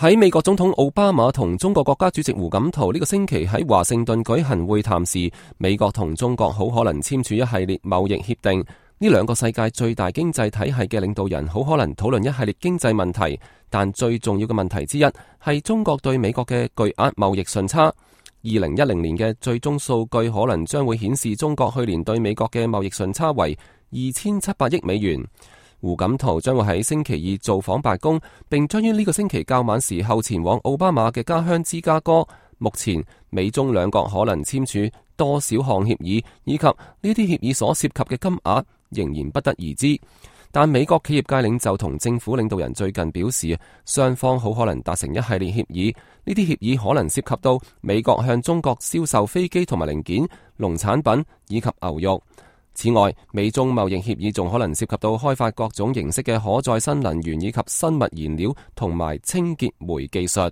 喺美國總統奧巴馬同中國國家主席胡錦濤呢個星期喺華盛頓舉行會談時，美國同中國好可能簽署一系列貿易協定。呢兩個世界最大經濟體系嘅領導人好可能討論一系列經濟問題，但最重要嘅問題之一係中國對美國嘅巨額貿易順差。2010年嘅最終數據可能將會顯示中國去年對美國嘅貿易順差為2700億美元。胡錦濤將會喺星期二造訪白宮，並將於呢個星期較晚時候前往奧巴馬嘅家鄉芝加哥。目前美中兩國可能簽署多少項協議，以及呢啲協議所涉及嘅金額仍然不得而知。但美國企業界領袖同政府領導人最近表示，雙方好可能達成一系列協議。呢啲協議可能涉及到美國向中國銷售飛機同埋零件、農產品以及牛肉。此外，美中貿易協議仲可能涉及到開發各種形式嘅可再生能源以及生物燃料同埋清潔煤技術。